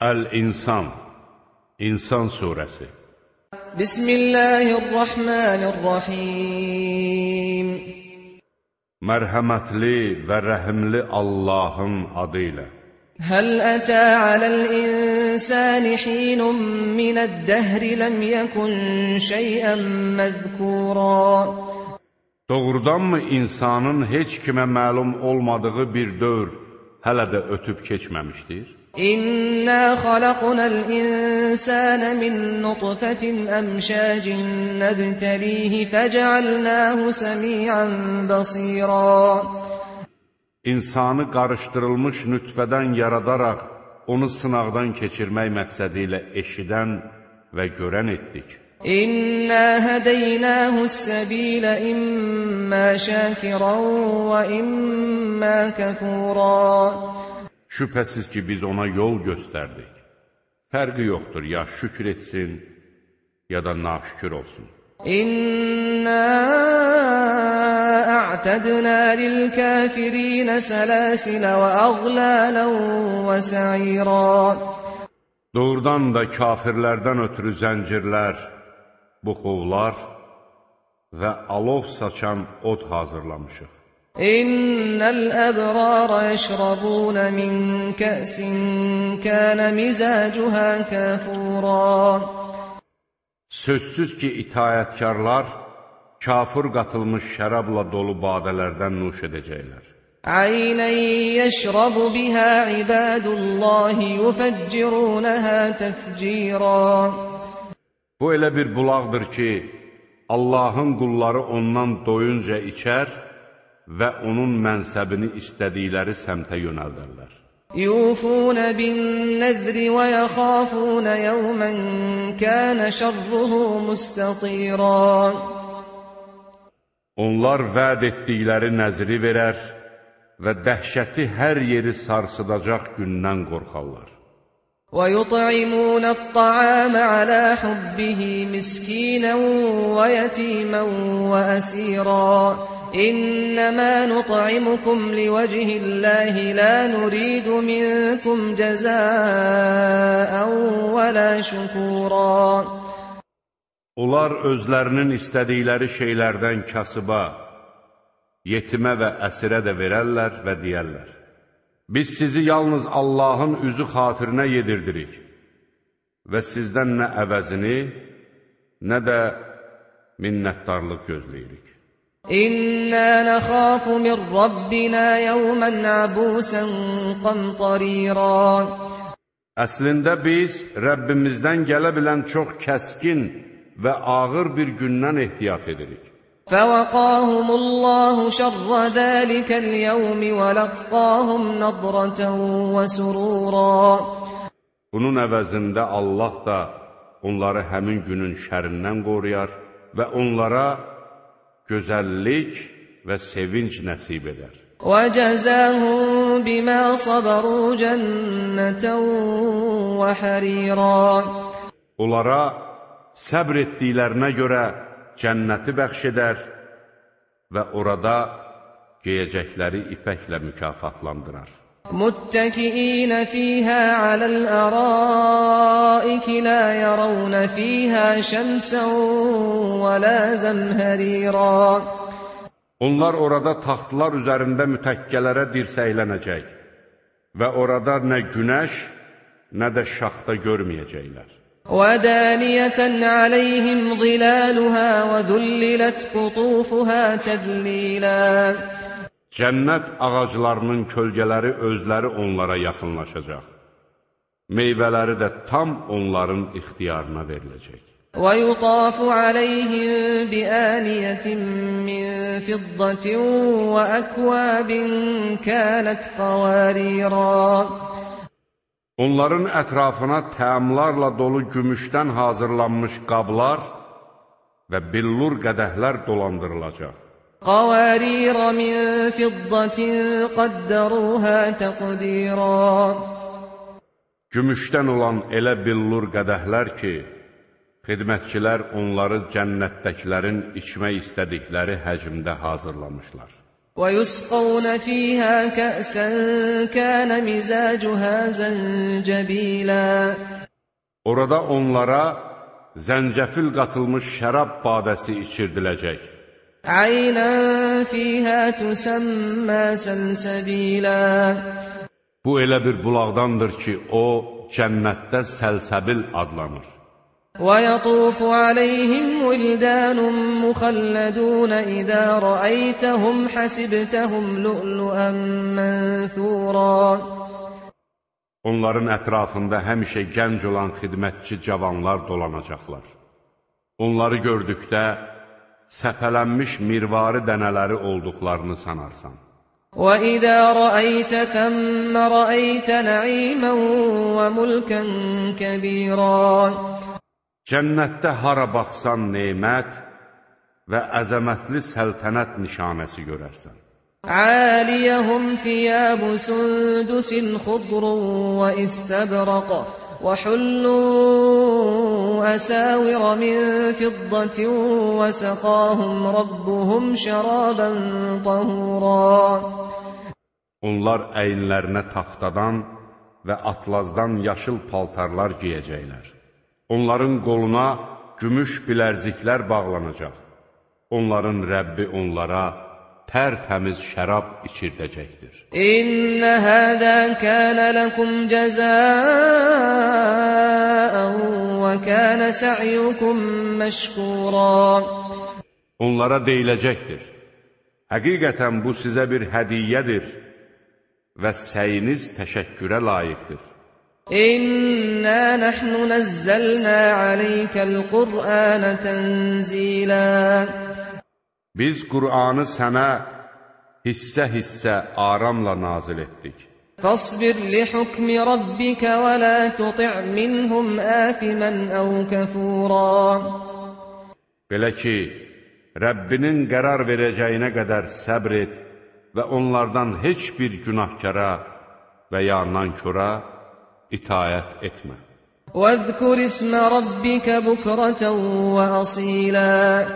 Əl-İnsan, İnsan surəsi. Bismillahirrahmanirrahim. Mərhəmətli və rəhimli Allahın adı ilə. Həl ətə aləl-insani hinun minəd-dəhri ləm yəkun şeyən məzkura. Doğrudanmı insanın heç kimə məlum olmadığı bir dövr hələ də ötüb keçməmişdir? İnna xalaqnal insana min nutfatin amshajin nabtalihi fec'alnahu sami'an basira. İnsanı qarışdırılmış nütfədən yaradaraq onu sınaqdan keçirmək məqsədi ilə eşidən və görən etdik. İnna hadaynahus-sabila imma shakiran və imma kafura. Şübhəsiz ki, biz ona yol göstərdik. Fərqi yoxdur, ya şükür etsin, ya da naşükür olsun. İnna a'tadna lil-kafirin salasilə və aghlalan və sa'ira. Doğrudan da kafirlərdən ötürü zəncirlər, buxovlar və alov saçan od hazırlamışıq. İnnəl əbrara yəşrabun min kəsin kənə mizacuha kafura. Sözsüz ki, itayətkarlar kafir qatılmış şərabla dolu badələrdən nuş edəcəklər. Aynən yəşrabu bihə ibadullahi yufəccirunəhə təfcira. Bu elə bir bulaqdır ki, Allahın qulları ondan doyunca içər və onun mənsəbini istədikləri səmtə yönəldərlər. Yufuna bin-nəzri və yəxafuna yawman kana şerruhu mustatira. Onlar vəd etdikləri nəzri verər və dəhşəti hər yeri sarsıdacaq gündən qorxarlar. وَيُطْعِمُونَ الطَّعَامَ عَلَى حُبِّهِ مِسْكِينًا وَيَتِيمًا وَأَسِيرًا إِنَّمَا نُطْعِمُكُمْ لِوَجْهِ اللَّهِ لَا نُرِيدُ مِنكُمْ جَزَاءً وَلَا شُكُورًا. Onlar özlərinin istədikləri şeylərdən kasıba, yetimə və əsirə də verərlər və deyərlər: Biz sizi yalnız Allahın üzü xatirinə yedirdirik və sizdən nə əvəzini, nə də minnətdarlıq gözləyirik. İnna nakhafu min rabbina yawman abusan qamtarira. Əslində biz Rəbbimizdən gələ bilən çox kəskin və ağır bir gündən ehtiyat edirik. فَوَقَاهُمُ اللَّهُ شَرَّ ذَلِكَ الْيَوْمِ وَلَقَّاهُمْ نَضْرَةً وَسُرُورًا. Bunun əvəzində Allah da onları həmin günün şərindən qoruyar və onlara gözəllik və sevinç nəsib edər. وَجَزَاهُمْ بِمَا صَبَرُوا جَنَّةً وَحَرِيرًا. Onlara səbr etdiklərinə görə cənnəti bəxş edər və orada geyəcəkləri ipəklə mükafatlandırar. مُتَّكِئِينَ فِيهَا عَلَى الْأَرَائِكِ لَا يَرَوْنَ فِيهَا شَمْسًا وَلَا زَمْهَرِيرًا. Onlar orada taxtlar üzərində mütəkkələrə dirsəklənəcək və orada nə günəş, nə də şaxta görməyəcəklər. وَدَانِيَةً عَلَيْهِمْ ظِلَالُهَا وَذُلِّلَتْ قُطُوفُهَا تَذْلِيلًا. Cənnət ağaclarının kölgələri özləri onlara yaxınlaşacaq. Meyvələri də tam onların ixtiyarına veriləcək. وَيُطَافُ عَلَيْهِمْ بِآنِيَةٍ مِّن فِضَّةٍ وَأَكْوَابٍ كَانَتْ قَوَارِيرًا. Onların ətrafına təamlarla dolu gümüşdən hazırlanmış qablar və billur qədəhlər dolandırılacaq. قَوَارِيرَ مِن فِضَّةٍ قَدَّرُوهَا تَقْدِيرًا. Gümüşdən olan elə billur qədəhlər ki, xidmətçilər onları cənnətdəkilərin içmək istədikləri həcmdə hazırlamışlar. وَيُسْقَوْنَ فِيهَا كَأْسًا كَانَ مِزَاجُهَا زَنْجَبِيلًا Orada onlara zəncəfil qatılmış şərab badəsi içirdiləcək. عَيْنًا فِيهَا تُسَمَّى سَلْسَبِيلًا Bu elə bir bulaqdandır ki, o cənnətdə səlsəbil adlanır. وَيَطُوفُ عَلَيْهِمْ وِلْدَانٌ مُخَلَّدُونَ إِذَا رَأَيْتَهُمْ حَسِبْتَهُمْ لُؤْلُؤًا مَنْثُورًا Onların ətrafında həmişə gənc olan xidmətçi cavanlar dolanacaqlar. Onları gördükdə səpələnmiş mirvari dənələri olduqlarını sanarsan. وَإِذَا رَأَيْتَ ثَمَّ رَأَيْتَ نَعِيمًا وَمُلْكًا كَبِيرًا Cənnətdə hara baxsan nemət və əzəmətli səltənət nişanəsi görərsən. عَالِيَهُمْ ثِيَابُ سُنْدُسٍ خُضْرٌ وَإِسْتَبْرَقٌ وَحُلُّوا أَسَاوِرَ مِنْ فِضَّةٍ وَسَقَاهُمْ رَبُّهُمْ شَرَابًا طَهُورًا Onlar əyinlərinə taxtadan və atlazdan yaşıl paltarlar giyəcəklər. Onların qoluna gümüş bilərziklər bağlanacaq. Onların Rəbbi onlara tərtəmiz şərab içirdəcəkdir. İnnə həzə kənə ləkum cəzəən və kənə sə'yukum məşkuran. Onlara deyiləcəkdir. Həqiqətən bu sizə bir hədiyyədir və səyiniz təşəkkürə layiqdir. İnnə nəhnu nəzzəlnə aleykəl Qur'anə tənzilə. Biz Qur'anı sənə hissə-hissə aramla nazil etdik. Fasbir li hukmi rabbikə və la tuti' minhum āthimən əv kəfūrā. Belə ki, Rəbbinin qərar verəcəyinə qədər səbr et və onlardan heç bir günahkara və ya nankora itayət etmə. وَاذْكُرِ اسْمَ رَبِّكَ بُكْرَةً وَأَصِيلًا.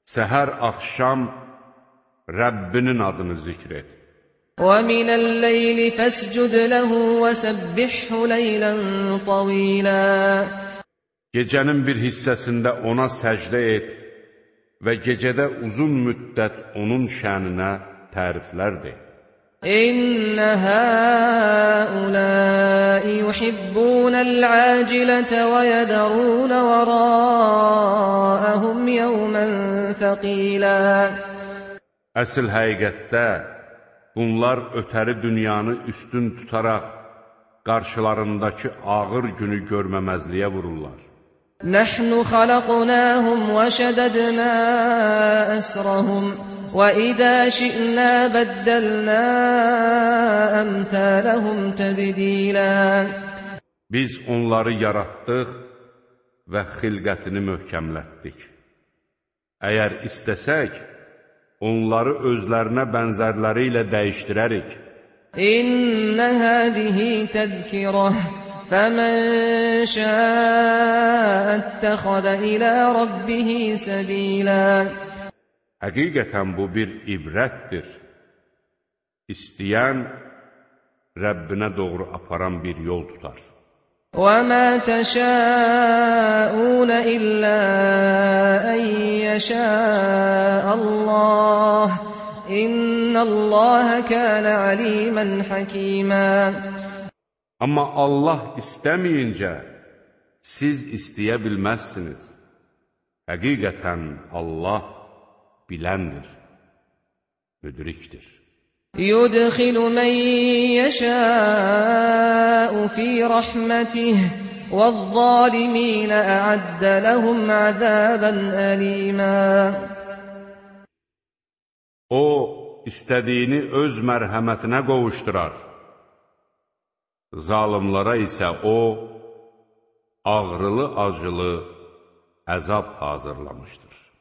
Səhər axşam Rəbbinin adını zikr et. وَمِنَ اللَّيْلِ فَاسْجُدْ لَهُ وَسَبِّحْهُ لَيْلًا طَوِيلًا. Gecənin bir hissəsində ona səcdə et və gecədə uzun müddət onun şəninə təriflər de. İnnə həuləi yuhibbunəl əcilətə və yədərunə vəraəhum yevmən thəqilə. Əsl həqiqətdə bunlar ötəri dünyanı üstün tutaraq qarşılarındakı ağır günü görməməzliyə vururlar. Nəhnu xalaqnahum və şədədnə əsrahum وَإِذَا شِئْنَا بَدَّلْنَا أَمْثَالَهُمْ تَبْدِيلًا. Biz onları yaratdıq və xilqətini möhkəmlətdik. Əgər istəsək, onları özlərinə bənzərləri ilə dəyişdirərik. İnnə həzihi təzkirəh, fəmən şəəttəxədə ilə rabbihi səbilə. Həqiqətən bu bir ibrətdir. İstəyən Rəbbinə doğru aparan bir yol tutar. وَمَا تَشَاءُونَ إِلَّا أَن يَشَاءَ اللَّهُ إِنَّ اللَّهَ كَانَ عَلِيمًا حَكِيمًا. Amma Allah istəməyincə siz istəyə bilməzsiniz. Həqiqətən Allah biləndir, müdrikdir. يُدْخِلُ مَن يَشَاءُ فِي رَحْمَتِهِ وَالظَّالِمِينَ أَعَدَّ لَهُمْ عَذَابًا أَلِيمًا. O, istədiyini öz mərhəmətinə qovuşdurar. Zalimlara isə o, ağrılı-acılı əzab hazırlamışdır.